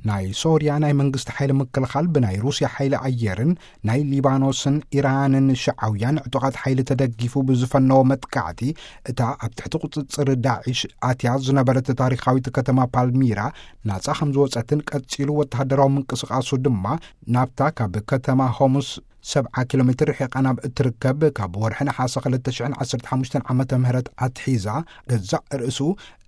ናይ ሶርያ ናይ መንግስቲ ሓይሊ ምክልኻል ብናይ ሩስያ ሓይሊ ኣየርን ናይ ሊባኖስን ኢራንን ሽዓውያን ዕጡቓት ሓይሊ ተደጊፉ ብዝፈነዎ መጥቃዕቲ፣ እታ ኣብ ትሕቲ ቁጽጽር ዳዒሽ ኣትያ ዝነበረት ታሪኻዊት ከተማ ፓልሚራ ናጻ ከም ዝወጸትን ቀጺሉ ወተሃደራዊ ምንቅስቓሱ ድማ ናብታ ካብ ከተማ ሆሙስ ሰብዓ ኪሎ ሜትር ርሒቓ ናብ እትርከብ፣ ካብ ወርሒ ነሓሰ ክልተ ሽሕን ዓሰርተ ሓሙሽተን ዓመተ ምህረት ኣትሒዛ ገዛእ ርእሱ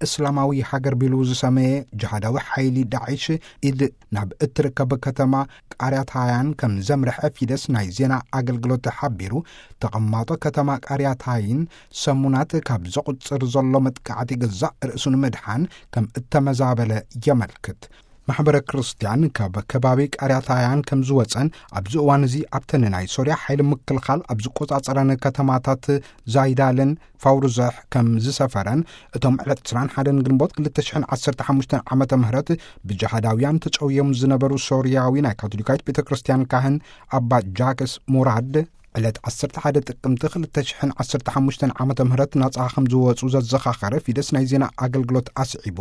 እስላማዊ ሃገር ቢሉ ዝሰመየ ጅሃዳዊ ሓይሊ ዳዒሽ ኢድ ናብ እትርከብ ከተማ ቃርያታያን ከም ዘምርሐ ፊደስ ናይ ዜና ኣገልግሎት ሓቢሩ። ተቐማጦ ከተማ ቃርያታይን ሰሙናት ካብ ዘቑጽር ዘሎ መጥቃዕቲ ገዛእ ርእሱ ንምድሓን ከም እተመዛበለ የመልክት። ማሕበረ ክርስትያን ካብ ከባቢ ቃርያታያን ከም ዝወጸን ኣብዚ እዋን እዚ ኣብተን ናይ ሶርያ ሓይሊ ምክልኻል ኣብ ዝቆጻጸረን ከተማታት ዛይዳልን ፋውርዘሕ ከም ዝሰፈረን፣ እቶም ዕለት ዕስራን ሓደን ግንቦት ክልተ ሽሕን ዓሰርተ ሓሙሽተን ዓመተ ምህረት ብጅሃዳውያን ተጨውዮም ዝነበሩ ሶርያዊ ናይ ካቶሊካዊት ቤተ ክርስትያን ካህን ኣባ ጃክስ ሙራድ ዕለት ዓሰርተ ሓደ ጥቅምቲ ክልተ ሽሕን ዓሰርተ ሓሙሽተን ዓመተ ምህረት ናጻ ከም ዝወጹ ዘዘኻኸረ ፊደስ ናይ ዜና ኣገልግሎት ኣስዒቡ፣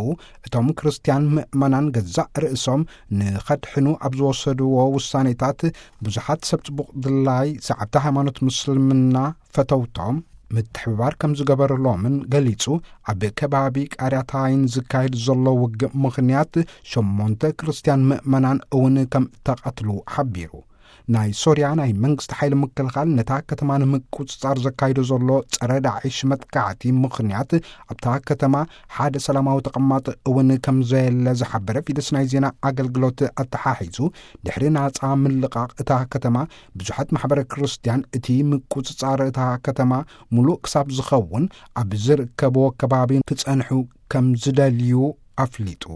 እቶም ክርስትያን ምእመናን ገዛእ ርእሶም ንኸድሕኑ ኣብ ዝወሰድዎ ውሳኔታት ብዙሓት ሰብ ጽቡቕ ድላይ ሰዓብቲ ሃይማኖት ምስልምና ፈተውቶም ምትሕብባር ከም ዝገበረሎምን ገሊጹ። ኣብ ከባቢ ቃርያታይን ዝካየድ ዘሎ ውግእ ምኽንያት ሸሞንተ ክርስትያን ምእመናን እውን ከም ተቐትሉ ሓቢሩ። ናይ ሶርያ ናይ መንግስቲ ሓይሊ ምክልኻል ነታ ከተማ ንምቁጽጻር ዘካይዶ ዘሎ ጸረ ዳዒሽ መጥቃዕቲ ምኽንያት ኣብታ ከተማ ሓደ ሰላማዊ ተቐማጢ እውን ከም ዘየለ ዝሓበረ ፊደስ ናይ ዜና ኣገልግሎት ኣተሓሒዙ፣ ድሕሪ ናጻ ምልቓቕ እታ ከተማ ብዙሓት ማሕበረ ክርስትያን እቲ ምቁጽጻር እታ ከተማ ሙሉእ ክሳብ ዝኸውን ኣብ ዝርከብዎ ከባቢ ክጸንሑ ከም ዝደልዩ ኣፍሊጡ።